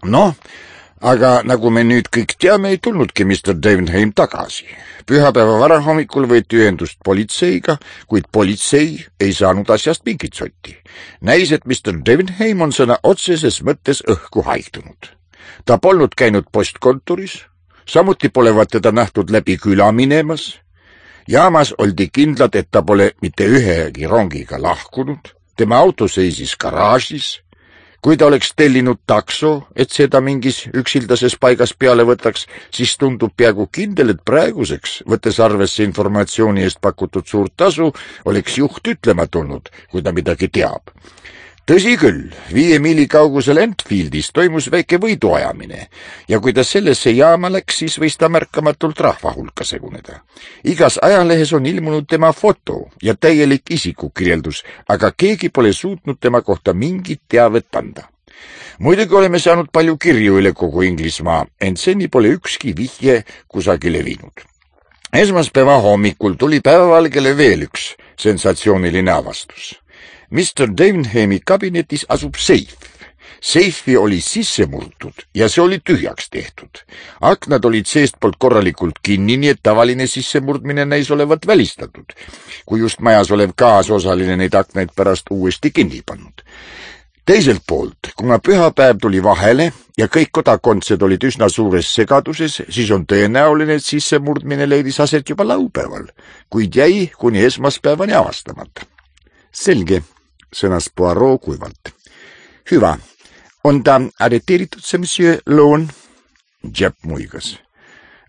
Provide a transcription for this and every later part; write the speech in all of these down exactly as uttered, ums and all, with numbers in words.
Noh, aga nagu me nüüd kõik teame, ei tulnudki mister Devenheim tagasi. Pühapäeva varahommikul võeti ühendust politseiga, kuid politsei ei saanud asjast mingit sotti. Näis, et mister Devenheim on sõna otseses mõttes õhku haihtunud. Ta polnud käinud postkontoris, samuti polevat teda nähtud läbi küla minemas. Jaamas oldi kindlad, et ta pole mitte ühegi rongiga lahkunud. Tema auto seisis garaažis. Kui ta oleks tellinud takso, et seda mingis üksildases paigas peale võtaks, siis tundub peaaegu kindel, et praeguseks, võttes arvesse informatsiooni eest pakutud suurt tasu, oleks juht ütlema tulnud, kui ta midagi teab. Tõsi küll, viie miili kaugusel Enfieldis toimus väike võiduajamine ja kui ta sellesse jaama läks, siis võis ta märkamatult rahva hulka seguneda. Igas ajalehes on ilmunud tema foto ja täielik isikukirjeldus, aga keegi pole suutnud tema kohta mingit teavet anda. Muidugi oleme saanud palju kirju üle kogu Inglismaa, ent seni pole ükski vihje kusagile viinud. Esmaspäeva hommikul tuli päevavalgele veel üks sensatsiooniline avastus. mister Devenheimi kabinetis asub seif. Seifi oli sisse murtud ja see oli tühjaks tehtud. Aknad olid seestpoolt korralikult kinni, nii et tavaline sissemurdmine näis olevat välistatud, kui just majas olev kaasosaline neid aknaid pärast uuesti kinni pannud. Teiselt poolt, kuna pühapäev tuli vahele ja kõik kodakondsed olid üsna suures segaduses, siis on tõenäoline, et sissemurdmine leidis aset juba laupäeval, kuid jäi kuni esmaspäevani avastamata. Selge, sõnas Poirot kuivalt. Hyvä. On ta arreteeritud see monsieur Loon? Jepp muigas.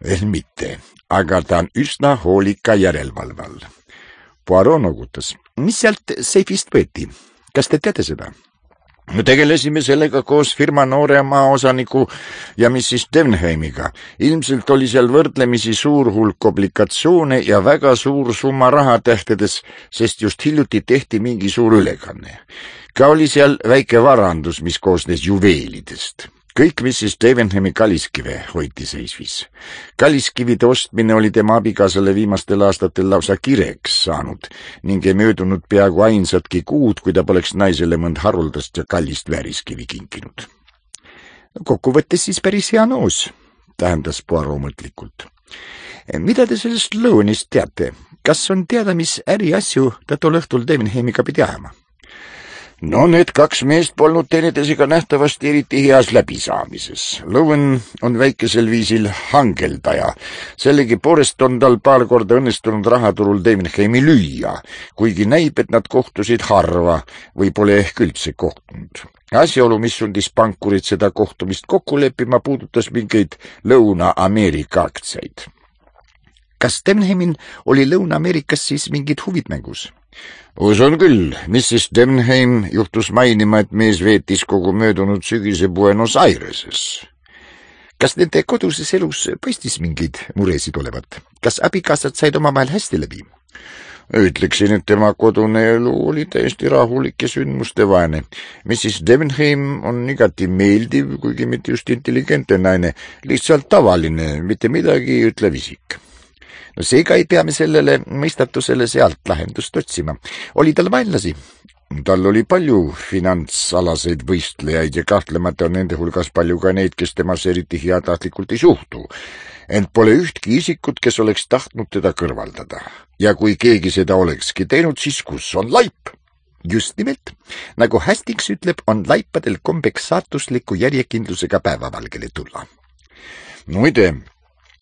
Veel mitte, aga ta on üsna hoolika järelevalve all. Poirot nogutas. Mis sealt seifist võeti? Kas te teate seda? Me tegelesime sellega koos firma noore maaosaniku ja missis Devenheimiga. Ilmselt oli seal võrdlemisi suur hulk oblikatsioone ja väga suur summa rahatähtedes, sest just hiljuti tehti mingi suur ülekanne. Ka oli seal väike varandus, mis koosnes juveelidest. Kõik missis Devenheimi kalliskive hoiti seisvis. Kalliskivide ostmine oli tema abikaasale viimastel aastatel lausa kireks saanud ning ei möödunud peaaegu ainsatki kuud, kui ta poleks naisele mõnd haruldast ja kallist vääriskivi kinkinud. Kokkuvõttes siis päris hea noos, tähendas Poirot mõtlikult. Mida te sellest Loonist teate? Kas on teada, mis äriasju ta tol õhtul Devenheimiga pidi ajama? No need kaks meest polnud teineteisega nähtavasti eriti heas läbisaamises. Lowen on väikesel viisil hangeldaja. Sellegi poolest on tal paar korda õnnestunud rahaturul Devenheimi lüüa, kuigi näib, et nad kohtusid harva või pole ehk üldse kohtunud. Asjaolu, mis sundis pankurid seda kohtumist kokku leppima, puudutas mingeid Lõuna-Ameerika aktsiaid. Kas Devenheimin oli Lõuna-Ameerikas siis mingid huvid mängus? Usun küll, missis Devenheim juhtus mainima, et mees veetis kogu möödunud sügise Buenos Aireses. Kas nende koduses elus paistis mingeid muresid olevat? Kas abikaasad said omavahel hästi läbi? Ütleksin, et tema kodune elu oli täiesti rahulik ja sündmustevaene. missis Devenheim on igati meeldiv, kuigi mitte just intelligentne naine, lihtsalt tavaline, mitte midagi ütlev isik. No seega ei pea me sellele mõistatusele sealt lahendust otsima. Oli tal vaenlasi? Tal oli palju finantsalaseid võistlejaid ja kahtlemata on nende hulgas palju ka neid, kes temas eriti heatahtlikult ei suhtu. Ent pole ühtki isikut, kes oleks tahtnud teda kõrvaldada. Ja kui keegi seda olekski teinud, siis kus on laip? Just nimelt, nagu Hastings ütleb, on laipadel kombeks saatusliku järjekindlusega päevavalgele tulla. Muide,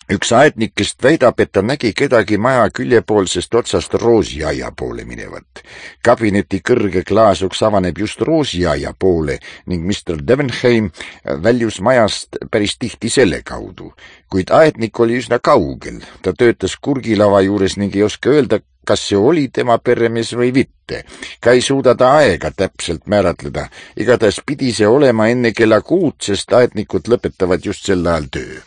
üks aednikest väidab, et ta nägi kedagi maja küljepoolsest otsast roosiaia poole minevat. Kabineti kõrge klaasuks avaneb just roosiaia poole ning mister Devenheim väljus majast päris tihti selle kaudu. Kuid aednik oli üsna kaugel. Ta töötas kurgilava juures ning ei oska öelda, kas see oli tema peremees või mitte. Ka ei suuda ta aega täpselt määratleda. Igatahes pidi see olema enne kella kuud, sest aednikud lõpetavad just sel ajal töö.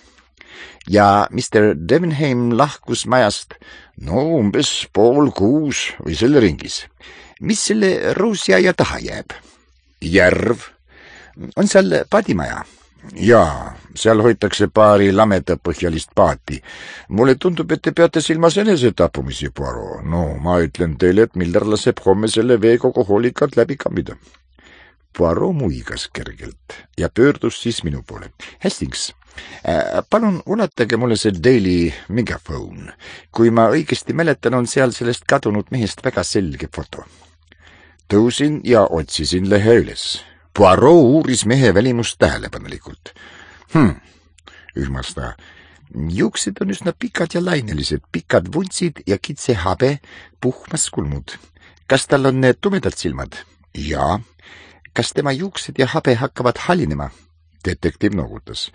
Ja mister Devenheim lahkus majast, no umbes pool kuus või selle ringis. Mis selle roosiaia taha jääb? Järv. On seal paadimaja? Jaa, seal hoitakse paari lamedapõhjalist paati. Mulle tundub, et te peate silmas enesetapumisi, Poirot. No, ma ütlen teile, et Miller laseb homme selle vee kogu hoolikalt läbi kammida. Poirot muigas kergelt ja pöördus siis minu poole. Hastings, äh, palun ulatage mulle see Daily Megaphone. Kui ma õigesti mäletan, on seal sellest kadunud mehest väga selge foto. Tõusin ja otsisin lehe üles. Poirot uuris mehe välimust tähelepanelikult. Hmm, ühmas ta. Juuksed on üsna pikad ja lainelised, pikad vuntsid ja kitse habe, puhmas kulmud. Kas tal on need tumedad silmad? Jaa. Kas tema juuksed ja habe hakkavad halinema? Detektiiv noogutas.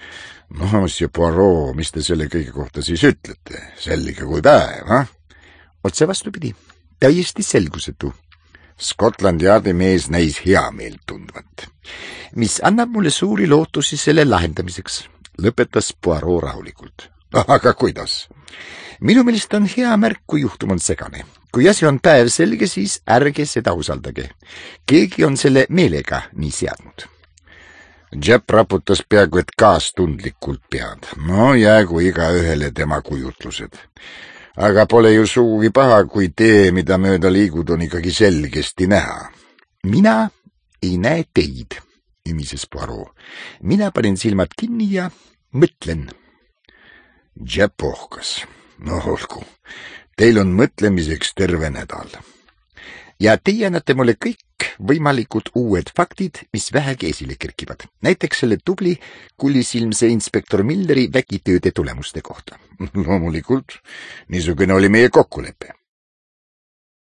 No, monsieur Poirot, mis te selle kõige kohta siis ütlete? Selge kui päev, ha? Otse vastupidi. Täiesti selgusetu. Scotland Yardi mees näis hea meelt tundvat. Mis annab mulle suuri lootusi selle lahendamiseks, lõpetas Poirot rahulikult. Aga kuidas? Minu meelest on hea märk, kui juhtum on segane. Kui asi on päev selge, siis ärge seda usaldage. Keegi on selle meelega nii seadnud. Jepp raputas peaaegu et kaastundlikult pead. No jäägu iga ühele tema kujutlused. Aga pole ju suugi paha, kui tee, mida mööda liigud, on ikkagi selgesti näha. Mina ei näe teid, imises Poirot. Mina panen silmad kinni ja mõtlen. Jepp ohkas. No olgu. Teil on mõtlemiseks terve nädal. Ja teie annate mulle kõik võimalikud uued faktid, mis vähegi esile kerkivad. Näiteks selle tubli kulisilmse inspektor Milleri vägitööde tulemuste kohta. Loomulikult, niisugune oli meie kokkulepe.